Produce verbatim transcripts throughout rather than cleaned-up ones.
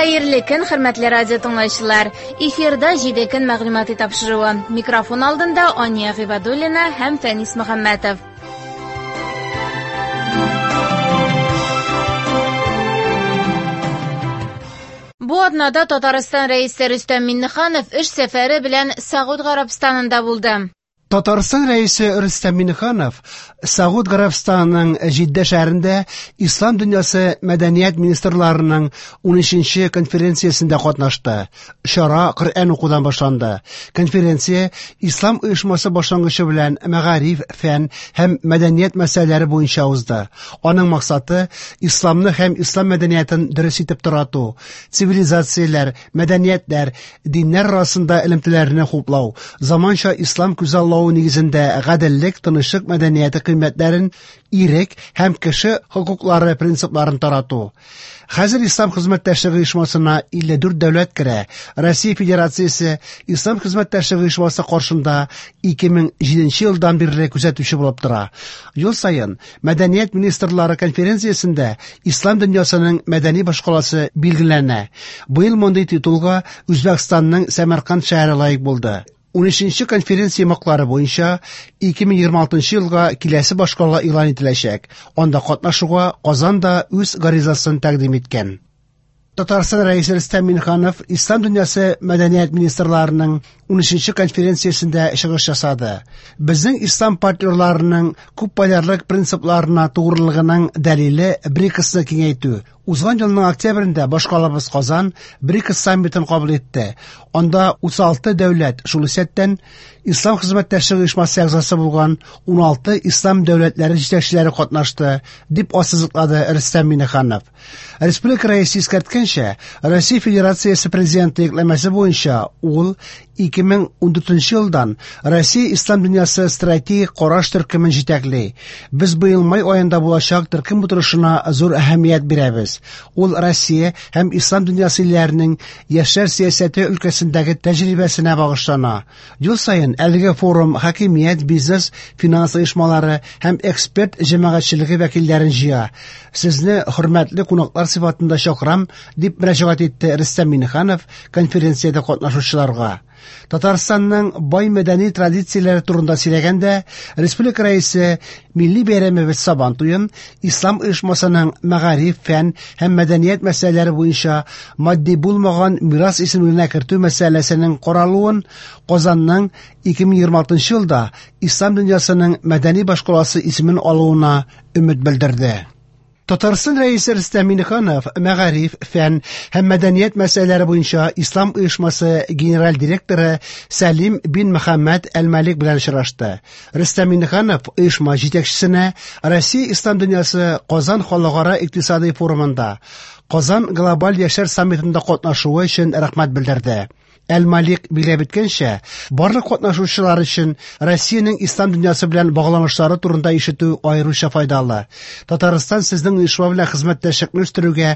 Хәерле көн, хөрмәтле радио тыңлаучылар. Эфирда җиде көн мәгълүмати тапшыруы. Микрофон алдында Ания Гыйбадуллина һәм Фәнис Мөхәммәтов. Бу атнада Татарстан рәисе Рөстәм Миңнеханов эш сәфәре белән Сәгуд Гарәбстанында булды. Татарстан рәисе Рөстәм Миңнеханов Сәгуд Гарәбстанының Җиддә шәһәрендә Ислам дөньясы мәдәният министрларының унөченче конференциясендә катнашты. Чара Коръән укудан башланды. Конференция Ислам оешмасы башлангычы белән мәгариф, фән һәм мәдәният мәсьәләләре буенча узды. Аның максаты исламны һәм ислам мәдәниятен дөрес итеп тарату, цивилизацияләр, мәдәниятләр, диннәр арасында элемтәләрне хуплау, заманча ислам күзаллавы нигезендә гаделлек, тынычлык мәдәнияте кыйммәтләрен, ирек һәм кеше хокуклары принципларын тарату. Хәзер Ислам хезмәттәшлеге оешмасына илле дүрт дәүләт керә. Россия Федерациясе Ислам хезмәттәшлеге оешмасы каршында ике мең җиденче елдан бирле күзәтүче булып тора. Ел саен Мәдәният министрлары конференциясендә Ислам дөньясының мәдәни башкаласы билгеләнә. Быел мондый титулга Үзбәкстанның Сәмәрканд шәһәре лаек булды. Унөченче конференция йомгаклары буенча ике мең егерме алтынчы елга киләсе башкала игълан ителәчәк. Анда катнашуга Казан да үз гаризасын тәкъдим иткән. Татарстан рәисе Рөстәм Миңнеханов Ислам дөньясы мәдәният министрларының унөченче конференциясендә чыгыш ясады. Безнең ислам партнерларының күпполярлык принципларына тугрылыгының дәлиле БРИКСны киңәйтү. Узган елның октябрендә башкалабыз Казан БРИКС саммитын кабул итте. Анда утыз алты дәүләт, шул исәптән Ислам хезмәттәшлеге оешмасы әгъзасы булган уналты ислам дәүләтләре җитәкчеләре катнашты, дип ассызыклады Рөстәм Миңнеханов. Республика рәисе искәрткәнчә, Россия Федерациясе президенты йөкләмәсе буенча ул ике мең ундүртенче елдан Россия Ислам дөньясы стратегик караш төркемен җитәкли. Без быел май аенда булачак төркем утырышына зур әһәмият бирәбез. Ул Россия һәм Ислам дөньясы илләренең яшьләр сәясәте өлкәсендәге тәҗрибәсенә багышлана. Ел саен әлеге форум хакимият, бизнес, финанс оешмалары һәм эксперт җәмәгатьчелеге вәкилләрен җыя. Сезне хөрмәтле кунаклар сыйфатында чакырам, дип мөрәҗәгать итте Рөстәм Миңнеханов конференциядә катнашучыларга. Татарстанның бай мәдәни традицияләре турында сөйләгәндә, республика рәисе милли бәйрәмебез Сабан туен Ислам оешмасының мәгариф, фән һәм мәдәният мәсьәләләре буенча матди булмаган мирас исемлегенә кертү мәсьәләсенең каралуын, Казанның ике мең егерме алтынчы елда Ислам дөньясының мәдәни башкаласы исемен алуына өмет белдерде. Татарстан рәисе Рөстәм Миңнеханов мәгариф, фән һәм мәдәният мәсьәләләре буенча Ислам оешмасы генераль директоры Сәлим бин Мөхәммәд Әл-Малик белән очрашты. Рөстәм Миңнеханов оешма җитәкчесенә Россия Ислам дөньясы Казан халыкара икътисади форумында Казан глобаль яшьләр саммитында катнашуы өчен рәхмәт белдерде. Әл-Малик билгеләп үткәнчә, барлык катнашучылар өчен Россиянең ислам дөньясы белән багланышлары турында ишетү аеруча файдалы. Татарстан сезнең оешма белән хезмәттәшлекне үстерүгә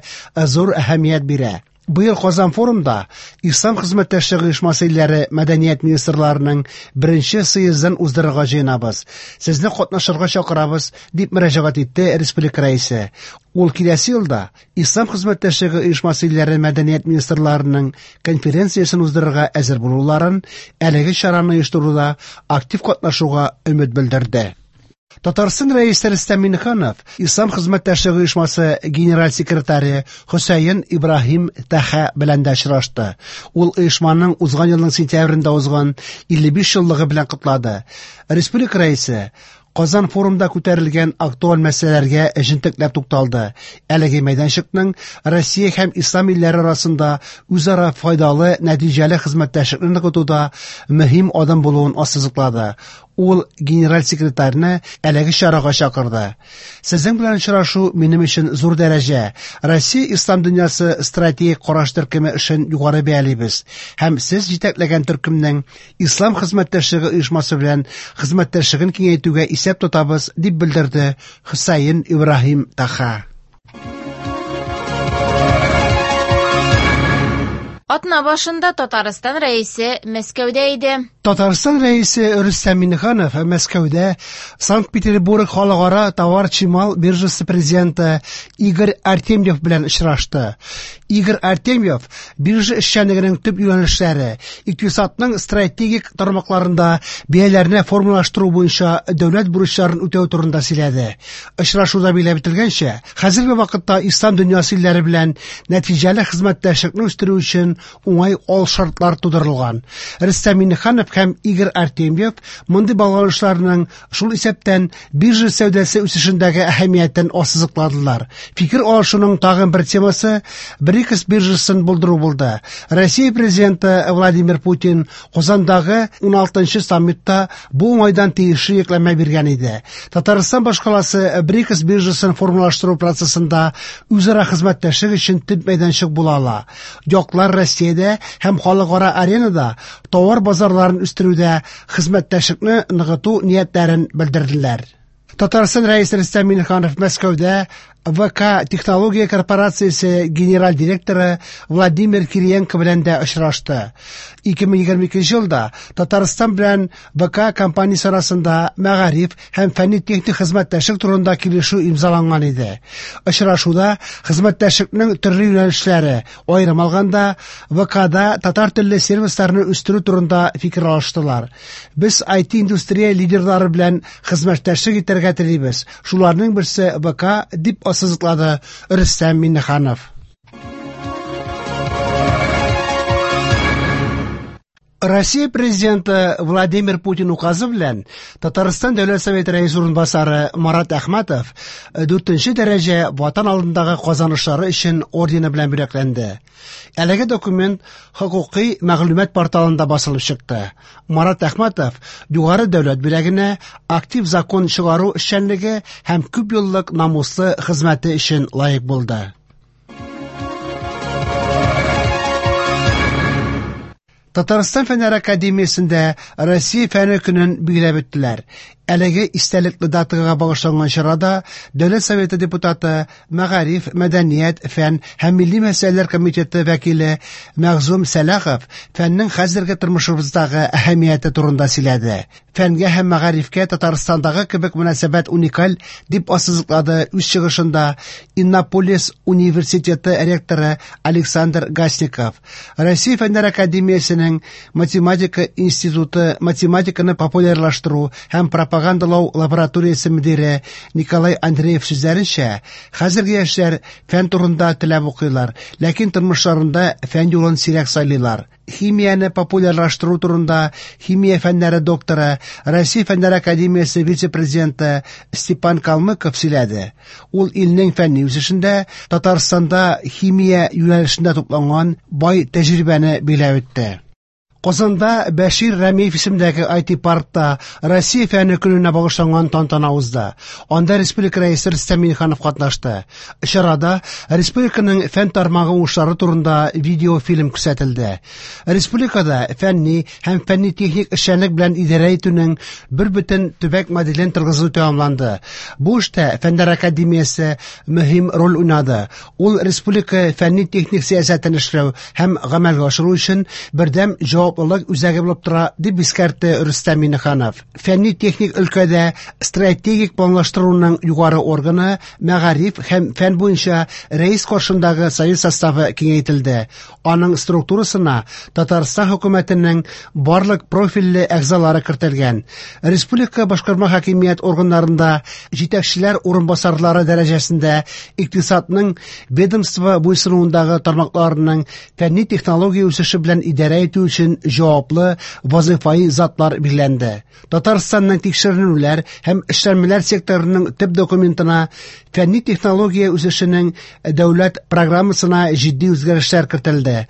зур әһәмият бирә. Быел Казан форумда Ислам хезмәттәшлеге оешмасы илләре мәдәният министрларының беренче съездын уздырырга җыенабыз. Сезне катнашырга чакырабыз, дип мөрәҗәгать итте республика рәисе. Ул киләсе елда Ислам хезмәттәшлеге оешмасы илләре мәдәният министрларының конференциясен уздырырга әзер булуларын, әлеге чараны оештыруда актив катнашуга өмет белдерде. Татарстан рәисе Рөстәм Миңнеханов Ислам хезмәттәшлеге оешмасы генераль секретаре Хөсәен Ибраһим Таха белән дә очрашты. Ул оешманың узган елның сентябрендә узган илле биш еллыгы белән котлады. Республика рәисе Казан форумда күтәрелгән актуаль мәсьәләләргә җентекләп тукталды. Әлеге мәйданчыкның Россия һәм ислам илләре арасында үзара файдалы, нәтиҗәле хезмәттәшлекне ныгытуда мөһим адым булуын ассызыклады. Ул генераль секретарьны әлеге чарага чакырды. Сезнең белән очрашу минем өчен зур дәрәҗә. Россия ислам дөньясы стратегик караш төркеме эшен югары бәялибез һәм сез җитәкләгән төркемнең Ислам хезмәттәшлеге оешмасы белән хезмәттәшлеген киңәйтүгә исәп тотабыз, дип белдерде Хөсәен Ибраһим Таха. Атна башында Татарстан рәисе Мәскәүдә иде. Татарстан рәисе Рөстәм Миңнеханов Мәскәүдә Санкт-Петербург халыкара товар-чимал биржасы президенты Игорь Артемьев белән очрашты. Игорь Артемьев биржа эшчәнлегенең төп юнәлешләре, икътисадның стратегик тармакларында бәяләрне формалаштыру буенча дәүләт бурычларын үтәү турында сөйләде. Очрашуда билгеләп үтелгәнчә, хәзерге вакытта ислам дөньясы илләре белән нәтиҗәле хезмәттәшлекне үстерү өчен уңай алшартлар тудырылган. Рөстәм Миңнеханов һәм Игорь Артемьев мондый багланышларның шул исәптән биржа сәүдәсе үсешендәге әһәмиятен ассызыкладылар. Фикер алышуның тагын бер темасы БРИКС биржасын булдыру булды. Россия президенты Владимир Путин Казандагы ун алтынчы саммитта бу уңайдан тиешле йөкләмә биргән иде. Татарстан башкаласы БРИКС биржасын формалаштыру процессында үзара хезмәттәшлек өчен төп мәйданчык була ала. Яклар Россиядә һәм халыкара аренада товар базарларын үстерүдә хезмәттәшлекне ныгыту ниятләрен белдерделәр. Татарстан рәисе Рөстәм Миңнеханов Мәскәүдә ВК технология корпорациясе генераль директоры Владимир Кириенко белән дә очрашты. ике мең егерме икенче елда Татарстан белән ВК компаниясе арасында мәгариф һәм фәнни-техник хезмәттәшлек турында килешү имзаланган иде. Очрашуда хезмәттәшлекнең төрле юнәлешләре, аерым алганда ВКда татар телле сервисларны үстерү турында фикер алыштылар. Без ай ти индустрия лидерлары белән хезмәттәшлек итәргә телибез. Шуларның берсе ВК дип ассызыклады Рөстәм Миңнеханов. Россия президенты Владимир Путин указы белән Татарстан Дәүләт Советы рәисе урынбасары Марат Әхмәтов дүртенче дәрәҗә Ватан алдындагы казанышлары өчен ордены белән бүләкләнде. Әлеге документ хокукый мәгълүмат порталында басылып чыкты. Марат Әхмәтов югары дәүләт бүләгенә актив закон чыгару эшчәнлеге һәм күп еллык намуслы хезмәте өчен лаек булды. Татарстан Фәннәр Академиясендә Россия фәне көнен билгеләп үттеләр. Әлеге истәлекле датага багышланган чарада Дәүләт Советы депутаты, Мәгариф, Мәдәният, Фән һәм Милли мәсьәләләр комитеты вәкиле Мәгъзум Сәлахов фәннең хәзерге тормышыбыздагы әһәмияте турында сөйләде. Фәнгә һәм мәгарифкә Татарстандагы кебек мөнәсәбәт уникаль дип ассызыклады үз чыгышында Иннополис университеты ректоры Александр Гасников. Россия Фәннәр Академиясенең Математика институты математиканы популярлаштыру һәм пропагандалау лабораториясе мөдире Николай Андреев сүзләренчә, хәзерге яшьләр фән турында теләп укыйлар, ләкин тормышларында фән юлын сирәк сайлыйлар. Химияне популярлаштыру турында химия фәннәре докторы, Россия Фәннәр Академиясе вице-президенты Степан Калмыков сөйләде. Ул илнең фәнни үсешендә Татарстанда химия юнәлешендә тупланган бай тәҗрибәне биләп үтте. Казанда Бәшир Рәмиев исемендәге ай ти паркта Россия фәне көненә багышланган тантана узды. Анда республика рәисе Рөстәм Миңнеханов катнашты. Чарада республиканың фән тармагы уңышлары турында видеофильм күрсәтелде. Республикада фәнни һәм фәнни-техник эшчәнлек белән идарә итүнең бер бөтен төбәк моделен торгызу тәмамланды. Бу эштә Фәннәр академиясе мөһим роль уйнады. Ул республика фәнни-техник сәясәтен эшләү һәм гамәлгә ашыру өчен бердәм җавап җаваплылык үзәге булып тора, дип искәртте Рөстәм Миңнеханов. Фәнни-техник өлкәдә стратегик планлаштыруның югары органы мәгариф һәм фән буенча рәис каршындагы союз составы киңәйтелде. Аның структурасына Татарстан хөкүмәтенең барлык профильле әгъзалары кертелгән. Республика башкарма хакимият органнарында җитәкчеләр урынбасарлары дәрәҗәсендә икътисадның ведомство буйсынуындагы тармакларының фәнни технология үсеше белән идарә итү өчен җаваплы вазифаи затлар билгеләнде. Татарстанның тикшеренүләр һәм эшләнмәләр секторының төп документына фәнни технология үсешенең дәүләт программасына җитди үзгәрешләр кертелде.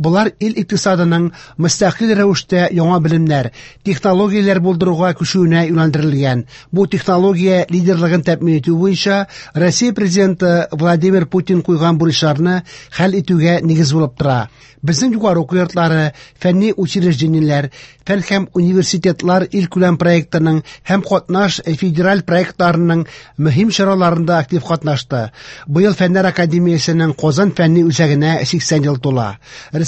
Булар ил икътисадының мөстәкыйль рәвештә яңа белемнәр, технологияләр булдыруга күчүенә юнәлдерелгән. Бу технология лидерлыгын тәэмин итү буенча Россия президенты Владимир Путин куйган бурычларны хәл итүгә нигез булып тора. Безнең югары уку йортлары, фәнни учреждениеләр, фән һәм университетлар илкүләм проектының һәм катнаш федераль проектларының мөһим чараларында актив катнашты. Быел Фәннәр академиясенең Казан фәнни үзәгенә сиксән ел тула.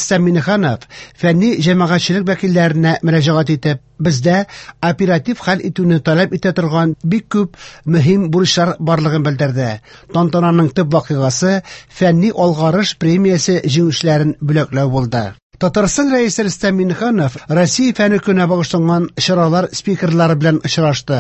Рөстәм Миңнеханов фәнни җәмәгатьчелек вәкилләренә мөрәҗәгать итеп, бездә оператив хәл итүне таләп итә торган бик күп мөһим бурычлар барлыгын белдерде. Тантананың төп вакыйгасы фәнни алгарыш премиясе җиңүчеләрен бүләкләү булды. Татарстан Рәисе Рөстәм Миңнеханов Россия фәне көненә багышланган чаралар спикерлары белән очрашты.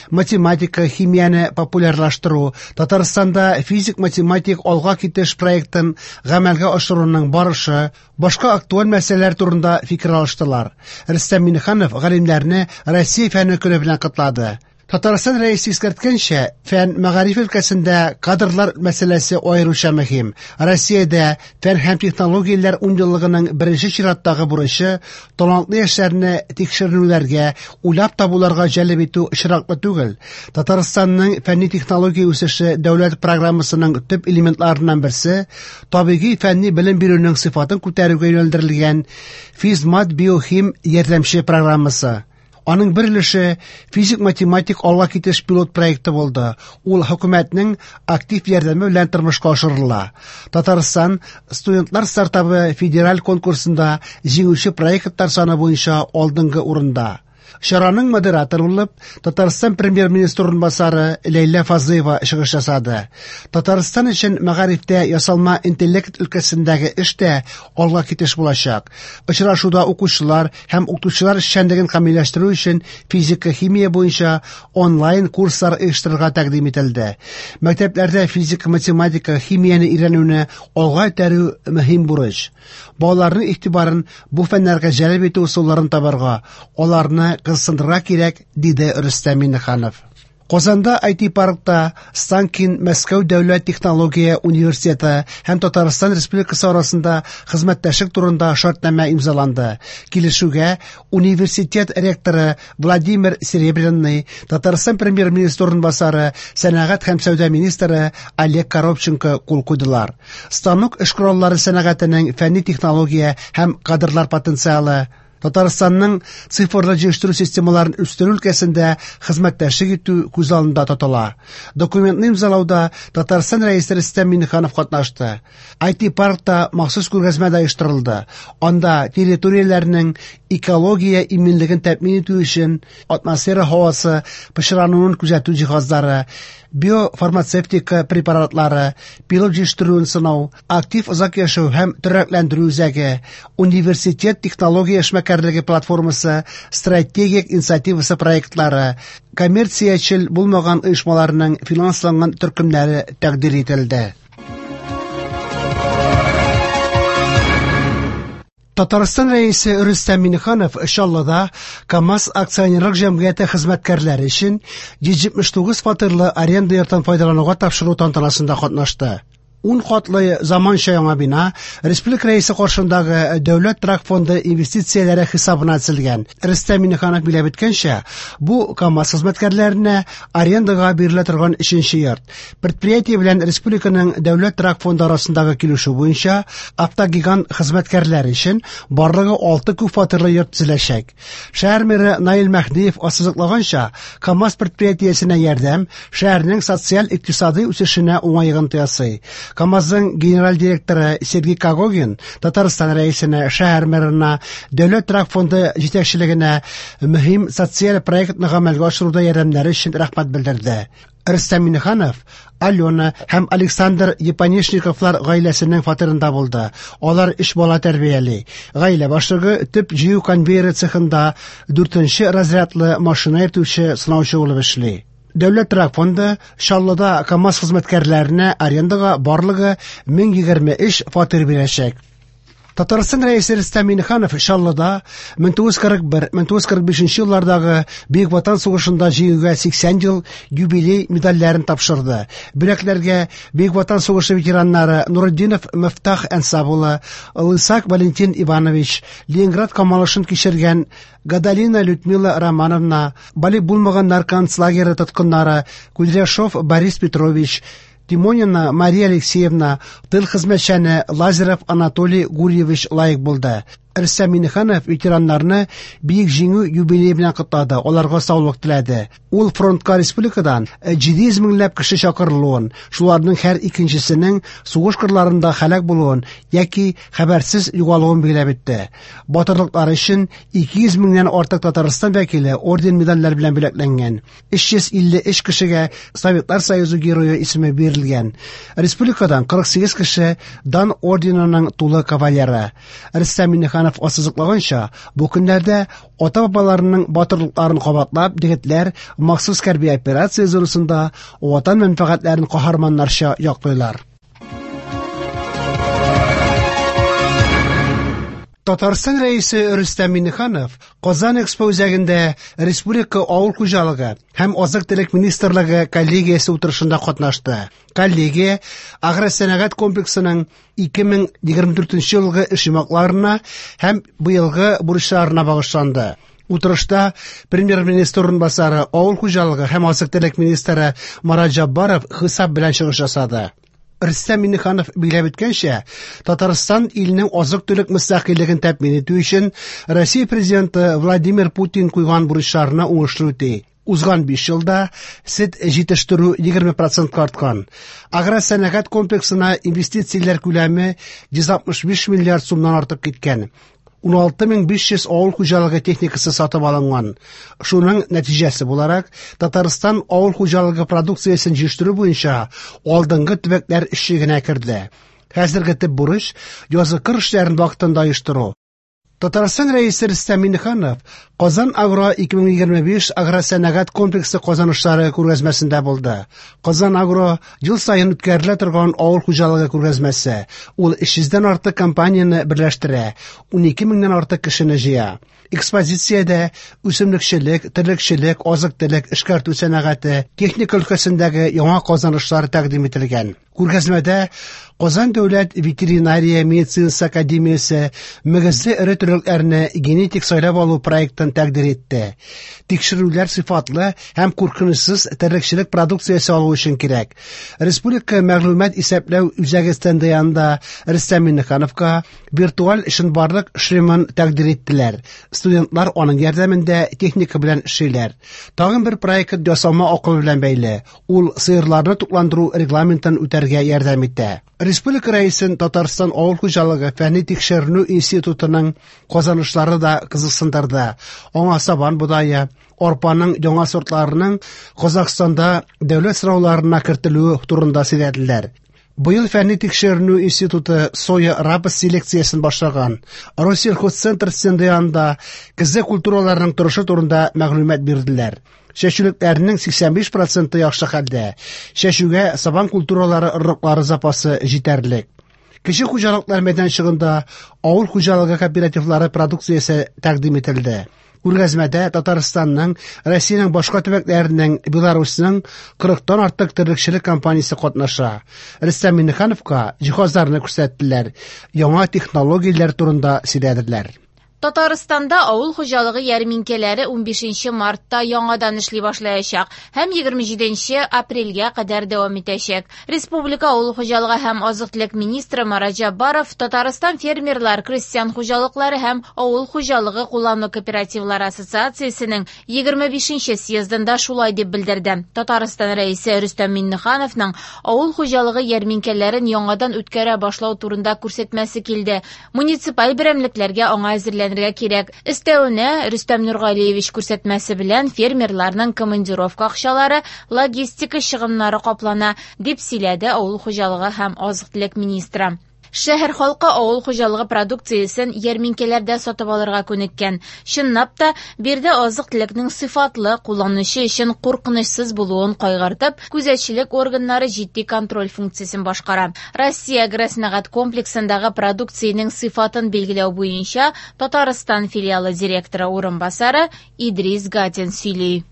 Математика, химияне популярлаштыру, Татарстанда физик-математик алга китеш проектын гамәлгә ашыруның барышы, башка актуаль мәсьәләләр турында фикер алыштылар. Рөстәм Миңнеханов галимнәрне Россия фәне көне белән котлады. Татарстан Рәисе искәрткәнчә, фән мәгариф өлкәсендә кадрлар мәсьәләсе аеруча мөһим. Россиядә фән һәм технологияләр унъеллыгының беренче чираттагы бурычы талантлы яшьләрне тикшеренүләргә, уйлап табуларга җәлеп итү очраклы түгел. Татарстанның фәнни технология үсеше дәүләт программасының төп элементларыннан берсе табигый фәнни белем бирүнең сыйфатын күтәрүгә юнәлдерелгән Физмат биохим ярдәмче программасы. Аның бер өлеше физик-математик алга китеш пилот проекты булды. Ул хөкүмәтнең актив ярдәме белән тормышка ашырыла. Татарстан студентлар стартабы федераль конкурсында җиңүче проектлар саны буенча алдынгы урында. Чараның модераторы булып Татарстан премьер-министры урынбасары Ләйлә Фазлыева чыгыш ясады. Татарстан өчен мәгарифтә ясалма интеллект өлкәсендәге эш тә алга китеш булачак. Очрашуда укучылар һәм укытучылар эшчәнлеген камилләштерү өчен физика, химия буенча онлайн курслар оештырырга тәкъдим ителде. Мәктәпләрдә физика, математика, химияне өйрәнүне алга этәрү мөһим бурыч. Балаларның игътибарын бу фәннәргә җәлеп итү ысулларын табарга, аларны кызыксындырырга кирәк, диде Рөстәм Миңнеханов. Казанда ай ти-паркта Станкин Мәскәү дәүләт технология университеты һәм Татарстан Республикасы арасында хезмәттәшлек турында шартнамә имзаланды. Килешүгә университет ректоры Владимир Серебряный, Татарстан премьер-министры урынбасары, сәнәгать һәм сәүдә министры Олег Коробченко кул куйдылар. Станок эш кораллары сәнәгатенең фәнни технология һәм кадрлар потенциалы, Татарстанның цифрлы җыештыру системаларын үстерү өлкәсендә хезмәттәшлек итү күз алдында тотыла. Документны имзалауда Татарстан Рәисе Рөстәм Миңнеханов катнашты. ай ти-паркта махсус күргәзмә дә оештырылды. Анда территорияләрнең экология иминлеген тәэмин итү өчен атмосфера һавасы пычрануын күзәтү җиһазлары, биофармацевтика препаратлары, пилот җыештыруын сынау, актив озак яшәү һәм тернәкләндерү үзәге, университет технология эшмәкәрлеге платформасы, стратегик инициативасы проектлары, коммерциячел булмаган оешмаларның финансланган төркемнәре тәкъдир ителде. Татарстан Рәисе Рөстәм Миңнеханов Чаллыда КАМАЗ акционерлык җәмгыяте хезмәткәрләре өчен йөз җитмеш тугыз фатирлы аренда йортын файдалануга тапшыру тантанасында катнашты. Ун катлы заманча яңа бина Республика Рәисе каршындагы Дәүләт торак фонды инвестицияләре хисабына төзелгән. Рөстәм Миңнеханов билгеләп үткәнчә, бу КАМАЗ хезмәткәрләренә арендага бирелә торган өченче йорт. Предприятие белән республиканың Дәүләт торак фонды арасындагы килешү буенча автогигант хезмәткәрләре өчен барлыгы алты күп фатирлы йорт төзеләчәк. Шәһәр мэры Наил Мәһдиев ассызыклаганча, КАМАЗ предприятиесенә ярдәм шәһәрнең социаль-икътисади үсешенә уңай йогынты ясый. КАМАЗның генераль директоры Сергей Когогин Татарстан Рәисенә, шәһәр мэрына, Дәүләт торак фонды җитәкчелегенә мөһим социаль проектны гамәлгә ашыруда ярдәмнәре өчен рәхмәт белдерде. Рөстәм Миңнеханов Алена һәм Александр Епанешниковлар гаиләсенең фатирында булды. Алар өч бала тәрбияли. Гаилә башлыгы төп җыю конвейеры цехында дүртенче разрядлы машина йөртүче сынаучы булып эшли. Дәүләт торак фонды Чаллыда КАМАЗ хезмәткәрләренә арендага барлыгы мең егерме өч фатир бирәчәк. Татарстан Рәисе Рөстәм Миңнеханов Чаллыда мең тугыз йөз кырык бер, мең тугыз йөз кырык бишенче еллардагы Бөек Ватан сугышында җиңүгә сиксән ел юбилей медальләрен тапшырды. Бүләкләргә Бөек Ватан сугышы ветераннары Нуретдинов Мифтах Әнсап улы, Лысак Валентин Иванович, Ленинград камалышын кичергән Гадалина Людмила Романовна, балигъ булмаганнар концлагеры тоткыннары Кудряшов Борис Петрович, Тимонина Мария Алексеевна, тыл хезмәтчәне Лазарев Анатолий Гурьевич лаек булды. Рөстәм Миңнеханов ветераннарны Бөек Җиңү юбилее белән котлады, аларга саулык теләде. Ул фронтка республикадан җиде йөз меңләп кеше чакырылуын, шуларның һәр икенчесенең сугыш кырларында һәлак булуын яки хәбәрсез югалуын билгеләп үтте. Батырлыклары өчен ике йөз меңнән артык Татарстан вәкиле орден-медальләр белән бүләкләнгән. Өч йөз илле өч кешегә Советлар Союзы герое исеме бирелгән. Республикадан кырык сигез кеше Дан орденының тулы кавалеры. Рөстәм Миңнеханов ассызыклаганча, бу көннәрдә ата-бабаларының батырлыкларын кабатлап, егетләр махсус хәрби операция зонасында ватан мәнфәгатьләрен каһарманнарча яклыйлар. Татарстан рәисе Рөстәм Миңнеханов Казан Экспо үзәгендә Республика авыл хуҗалыгы һәм азык-төлек министрлыгы коллегиясе утырышында катнашты. Коллегия агросәнәгать комплексының ике мең егерме дүртенче елгы эш йомгакларына һәм быелгы бурычларына багышланды. Утырышта премьер-министр урынбасары, авыл хуҗалыгы һәм азык-төлек министры Марат Җаббаров хисап белән чыгыш ясады. Рөстәм Миңнеханов билгеләп үткәнчә, Татарстан илнең азык-төлек мөстәкыйльлеген тәэмин итү өчен Россия президенты Владимир Путин куйган бурычларны уңышлы үти. Узган биш елда сөт җитештерү егерме процентка арткан. Агросәнәгать комплексына инвестицияләр күләме йөз алтмыш биш миллиард сумнан артып киткән. Ун алты мең биш йөз авыл хуҗалыгы техникасы сатып алынган. Шуның нәтиҗәсе буларак, Татарстан авыл хуҗалыгы продукциясен җитештерү буенча алдынгы төбәкләр өчлегенә керде. Хәзерге төп бурыч язгы кыр эшләрен вакытында оештыру. Татарстан рәисе Рөстәм Миңнеханов Казан Агро ике мең егерме биш агросәнәгать комплексы казанышлары күргәзмәсендә булды. Казан Агро ел саен үткәрелә торган авыл хуҗалыгы күргәзмәсе. Ул өч йөздән артык компанияне берләштерә, унике меңнән артык кешене җыя. Экспозициядә үсемлекчелек, терлекчелек, азык-төлек, эшкәртү сәнәгате, техника өлкәсендәге яңа казанышлар тәкъдим ителгән. Күргәзмәдә Казан дәүләт ветеринария медицинасы академиясе мөгезле эре терлекләрне генетик сайлап алу проектын тәкъдир итте. Тикшерүләр сыйфатлы һәм куркынычсыз терлекчелек продукциясе алу өчен кирәк. Республика мәгълүмат исәпләү үзәге стенды янында Рөстәм Миңнехановка виртуаль чынбарлык шлемын тәкъдир иттеләр. Студентлар аның ярдәмендә техника белән эшлиләр. Тагын бер проект ясалма акыл белән бәйле. Ул сыерларны тукландыру регламентын үтәргә ярдәм итә. Республика рәисен Татарстан авыл хуҗалыгы фәнни тикшеренү институтының казанышлары да кызыксындырды. Аңа сабан бодае, арпаның яңа сортларының Казахстанда дәүләт сынауларына кертелүе турында сөйләделәр. Быел фәнни тикшеренү институты соя рапс селекциясен башлаган. Россельхозцентр стенды янында көзге культураларның торышы турында мәгълүмат бирделәр. Чәчүлекләрнең сиксән биш проценты яхшы хәлдә. Чәчүгә сабан культуралары орлыклары запасы җитәрлек. Кече хуҗалыклар мәйданчыгында авыл хуҗалыгы кооперативлары продукциясе тәкъдим ителде. Күргәзмәдә Татарстанның, Россиянең башка төбәкләренең, Беларусьның кырыктан артык терлекчелек компаниясе катнаша. Рөстәм Миңнехановка җиһазларны күрсәттеләр, яңа технологияләр турында сөйләделәр. Татарстанда авыл хуҗалыгы ярминкәләре унбишенче мартта яңадан эшли башлаячак һәм егерме җиденче апрельгә кадәр дәвам итәчәк. Республика авыл хуҗалыгы һәм азык-төлек министры Марат Җаббаров Татарстан фермерлар, крестьян хуҗалыклары һәм авыл хуҗалыгы куллану кооперативлары ассоциациясенең егерме бишенче съездында шулай дип белдерде. Татарстан рәисе Рөстәм Миңнехановның авыл хуҗалыгы ярминкәләрен яңадан үткәрә башлау турында күрсәтмәсе килде. Муниципаль берәмлекләргә аңа әзерләнергә кирәк. Өстәвенә, Рөстәм Нургалиевич күрсәтмәсе белән фермерларның командировка акчалары, логистика чыгымнары каплана, дип сөйләде авыл хуҗалыгы һәм азык-төлек министры. Шәһәр халкы авыл хуҗалыгы продукциясен ярминкәләрдә сатып алырга күнеккән. Чынлап та, биредә азык-төлекнең сыйфатлы, кулланучы өчен куркынычсыз булуын кайгыртып, күзәтчелек органнары җитди контроль функциясен башкара. Россия агросәнәгать комплексындагы продукциянең сыйфатын билгеләү буенча Татарстан филиалы директоры урынбасары Идрис Гатин сөйли.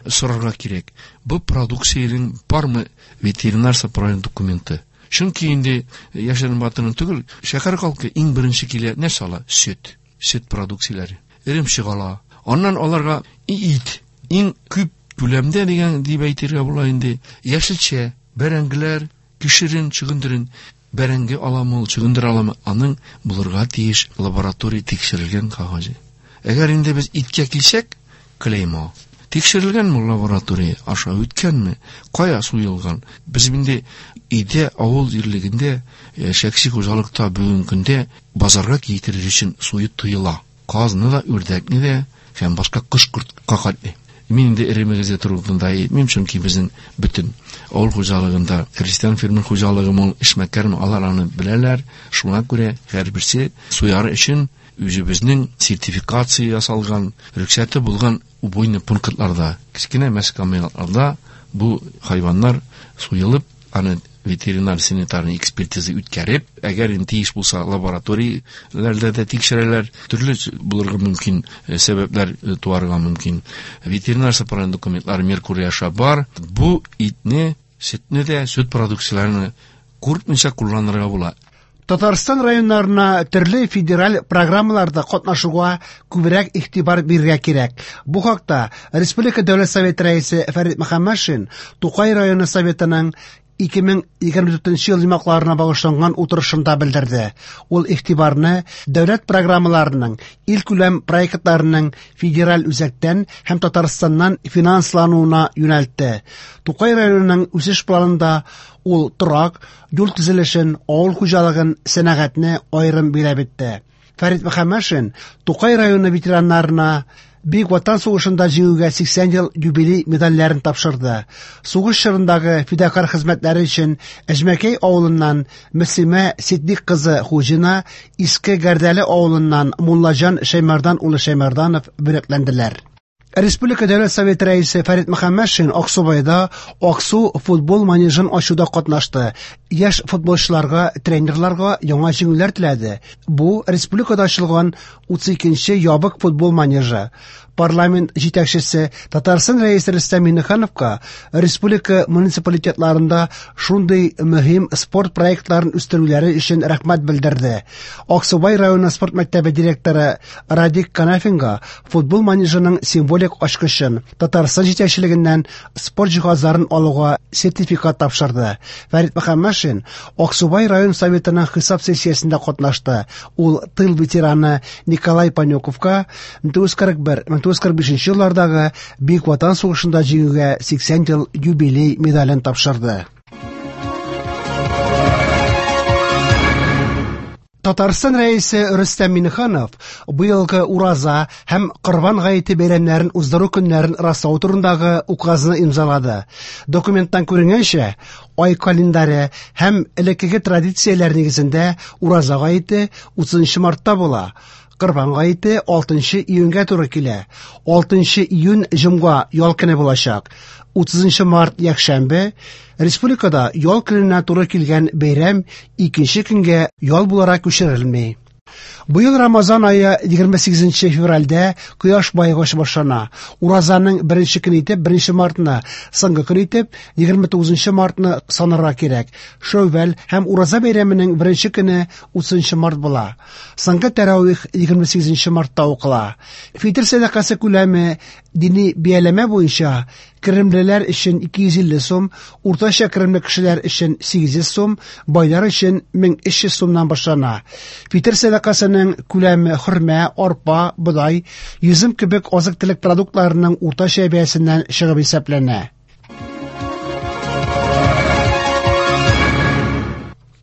Сорарга кирәк. Бу продукциянең бармы ветеринар сопровождение документы? Чөнки инде яшерен батырын түгел, шәһәр халкы иң беренче килә нәрсә ала? Сөт, сөт продукцияләре. Эремчек ала. Аннан аларга ит, иң күп күләмдә дигән дип әйтергә була инде. Яшелчә, бәрәңгеләр, кишерен, чөгендерен. Бәрәңге аламы ул, чөгендер аламы, аның булырга тиеш лаборатория тикшерелгән кәгазе. Әгәр инде без иткә килсәк, клеймо. Тикшерелгәнме лаборатория аша үткәнме, кая суелган? Без инде өйдә, авыл җирлегендә, шәхси хуҗалыкта бүгенге көндә базарга китерер өчен суеп тыела. Казны да, үрдәкне дә һәм башка кош-кортка катны. Мин инде эремегездә турында әйтмим, чөнки безнең бөтен авыл хуҗалыгында крестьян фермер хуҗалыгы мул, эшмәкәрме, алар аны беләләр. Шуңа күрә һәрберсе суяр өчен үзебезнең сертификация ясалган, рөхсәте булган убойный пунктларда, кечкенә мәскәмнәрдә бу хайваннар суелып, аны ветеринар санитарный экспертиза үткәреп, әгәр инде тиеш булса лабораторияләрдә дә тикшерәләр, төрле булырга мөмкин сәбәпләр туарга мөмкин. Ветеринар сапаран документлар Меркурий аша бар. Бу итне, сөтне дә, сөт продукцияләрен куркмыйча кулланырга була. Татарстан районнарына төрле федераль программаларда катнашуга күбрәк игътибар бирергә кирәк. Бу хакта Республика Дәүләт Советы рәисе Фәрит Мөхәммәтшин Тукай районы Советының ике мең егерме дүртенче ел йомгакларына багышланган утырышында белдерде. Ул игътибарны дәүләт программаларының, илкүләм проектларының федераль үзәктән һәм Татарстаннан финанслануына юнәлтте. Тукай районының үсеш планында ул торак, юл төзелешен, авыл хуҗалыгын, сәнәгатьне аерым биләп итте. Фәрит Мөхәммәтшин Тукай районы ветераннарына Бөек Ватан сугышында җиңүгә сиксән ел юбилей медальләрен тапшырды. Сугыш чорындагы фидакар хезмәтләре өчен Әҗмәкәй авылыннан Мөслимә Сиддик кызы Хуҗина, Иске Гәрдәле авылыннан Муллаҗан Шәймәрдан улы Шәймәрданов бүләкләнделәр. Республика Дәүләт Советы рәисе Фәрит Мөхәммәтшин Аксубайда Аксу футбол манежын ачуда катнашты. Яшь футболчыларга, тренерларга яңа җиңүләр теләде. Бу республикада ачылган утыз икенче ябык футбол манежы. Парламент җитәкчесе Татарстан рәисе Рөстәм Миңнехановка республика муниципалитетларында шундый мөһим спорт проектларын үстерүләре өчен рәхмәт белдерде. Аксубай районы спорт мәктәбе директоры Радик Канафинга футбол манежының символик ачкычын Татарстан җитәкчелегеннән спорт җиһазларын алуга сертификат тапшырды. Фәрит Мөхәммәтшин Аксубай район советының хисап сессиясендә катнашты. Ул тыл ветераны Николай Панюковка мең тугыз йөз кырык бер, мең тугыз йөз кырык бишенче еллардагы Бөек Ватан сугышында җиңүгә сиксән ел юбилей медален тапшырды. Татарстан рәисе Рөстәм Миңнеханов быелгы Ураза һәм Корбан гаете бәйрәмнәрен уздыру көннәрен раслау турындагы указны имзалады. Документтан күренгәнчә, ай календаре һәм элеккеге традицияләр нигезендә Ураза гаете утызынчы мартта була. Корбан гаете алтынчы июньгә туры килә. Алтынчы июнь җомга ял көне булачак. Утызынчы март якшәмбе республикада ял көненә туры килгән бәйрәм икенче көнгә ял буларак күчерелми. Быел Рамазан ае егерме сигезенче февральдә кояш байыгыч башлана. Уразаның беренче көне итеп беренче мартны, соңгы көн итеп егерме тугызынчы мартны санарга кирәк. Шәүвәл һәм Ураза бәйрәменең беренче көне утызынчы март була. Соңгы тәравих егерме сигезенче мартта укыла. Фитр сәдакасы күләме дини бияләмә буенча керемлеләр өчен ике йөз илле сум, уртача керемле кешеләр өчен сигез йөз сум, байлар өчен мең өч йөз сумнан башлана. Фитр сәдакасының күләме хөрмә, арпа, бодай, йөзем кебек азык-төлек продуктларының уртача бәясеннән чыгып исәпләнә.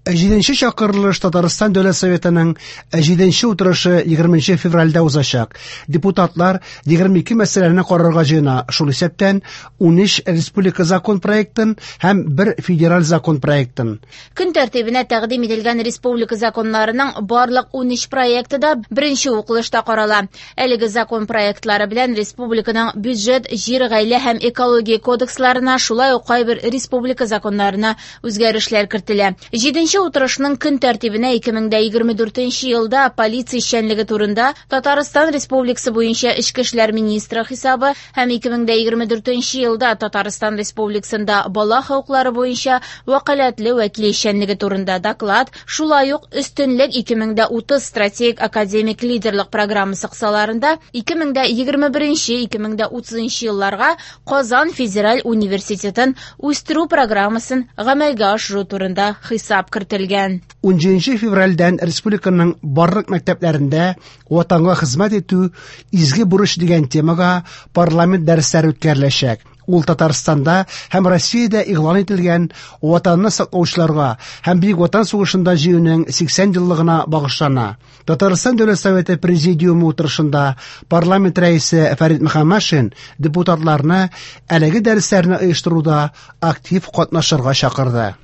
Җиденче чакырылыш Татарстан Дәүләт Советының җиденче утырышы егерменче февральдә узачак. Депутатлар егерме ике мәсьәләне карарга җыена, шул исәптән унөч республика закон проектын һәм бер федераль закон проектын. Көн тәртибенә тәкъдим ителгән республика законнарының барлык унөч проекты да беренче укылышта карала. Әлеге закон проектлары белән республиканың бюджет, җир, гаилә һәм экология кодексларына, шулай ук кайбер республика законнарына үзгәрешләр кертелә. Җиденче утырышның көн тәртибенә ике мең дә егерме дүртенче елда полиция эшчәнлеге турында Татарстан Республикасы буенча Эчке эшләр министры хисабы һәм ике мең дә егерме дүртенче елда Татарстан Республикасында бала хокуклары буенча вәкаләтле вәкил эшчәнлеге турында доклад, шулай ук өстенлек ике мең дә утыз стратегик академик лидерлык программасы кысаларында ике мең дә егерме беренче, ике мең дә утызынчы елларга Казан федераль университетын үстерү программасын гамәлгә ашыру турында хисап кертелә. йөртелгән. Унҗиденче февральдән республиканың барлык мәктәпләрендә Ватанга хезмәт итү изге бурыч дигән темага парламент дәресләре үткәреләчәк. Ул Татарстанда һәм Россиядә игълан ителгән Ватанны саклаучыларга һәм Бөек Ватан сугышында җиңүнең сиксән еллыгына багышлана. Татарстан Дәүләт Советы Президиумы утырышында парламент рәисе Фәрит Мөхәммәтшин депутатларны әлеге дәресләрне оештыруда актив катнашырга чакырды.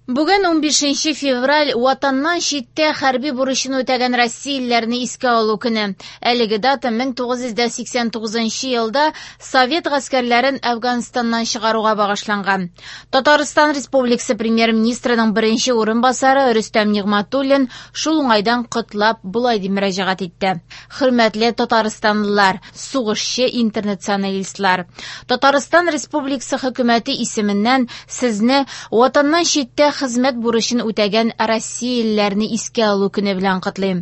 Бүген унбишенче февраль Ватаннан читтә хәрби бурычын үтәгән россиялеләрне искә алу көне. Әлеге дата мең тугыз йөз дә сиксән тугызынчы елда Совет гаскәрләрен Әфганстаннан чыгаруга багышланган. Татарстан Республикасы премьер-министрының беренче урынбасары Рөстәм Нигъмәтуллин шул уңайдан котлап болай дип мөрәҗәгать итте. Хөрмәтле татарстанлылар, сугышчы интернационалистлар, Татарстан Республикасы хөкүмәте исеменнән сезне Ватаннан читтә хезмәт бурычын үтәгән россиялеләрне искә алу көне белән котлыйм.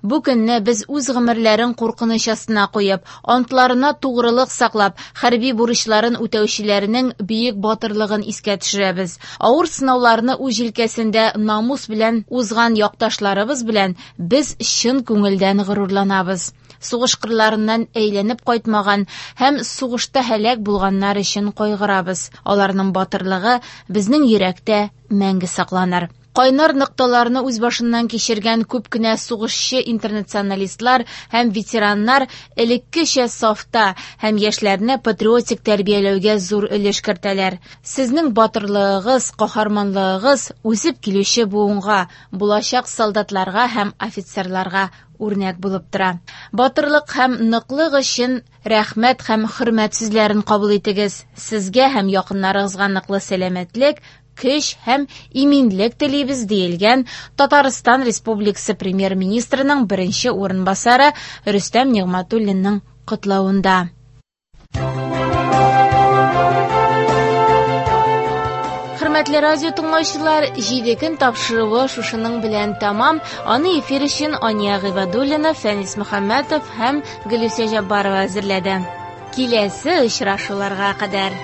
Бу көнне без үз гомерләрен куркыныч астына куеп, антларына тугрылык саклап, хәрби бурычларын үтәүчеләрнең бөек батырлыгын искә төшерәбез. Авыр сынауларны үз җилкәсендә намус белән узган якташларыбыз белән без чын күңелдән горурланабыз. Сугыш кырларыннан әйләнеп кайтмаган һәм сугышта һәлак булганнар өчен кайгырабыз. Аларның батырлыгы безнең йөрәктә мәңге сакланыр. Кайнар нокталарны үз башыннан кичергән күп кенә сугышчы интернационалистлар һәм ветераннар элеккечә сафта һәм яшьләрне патриотик тәрбияләүгә зур өлеш кертәләр. Сезнең батырлыгыгыз, каһарманлыгыгыз үсеп килүче буынга, булачак солдатларга һәм офицерларга үрнәк булып тора. Батырлык һәм ныклык өчен рәхмәт һәм хөрмәт сүзләрен кабул итегез. Сезгә һәм якыннарыгызга ныклы сәламәтлек, көч һәм иминлек телибез, диелгән Татарстан Республикасы премьер-министрының беренче урынбасары Рөстәм Нигъмәтуллинның котлавында. Хөрмәтле радио тыңлаучылар, җиде көн тапшыруы шушының белән тәмам. Аны эфир өчен Ания Гыйбадуллина, Фәнис Мөхәммәтов һәм Гөлүсә Җаббарова әзерләде. Киләсе очрашуларга кадәр.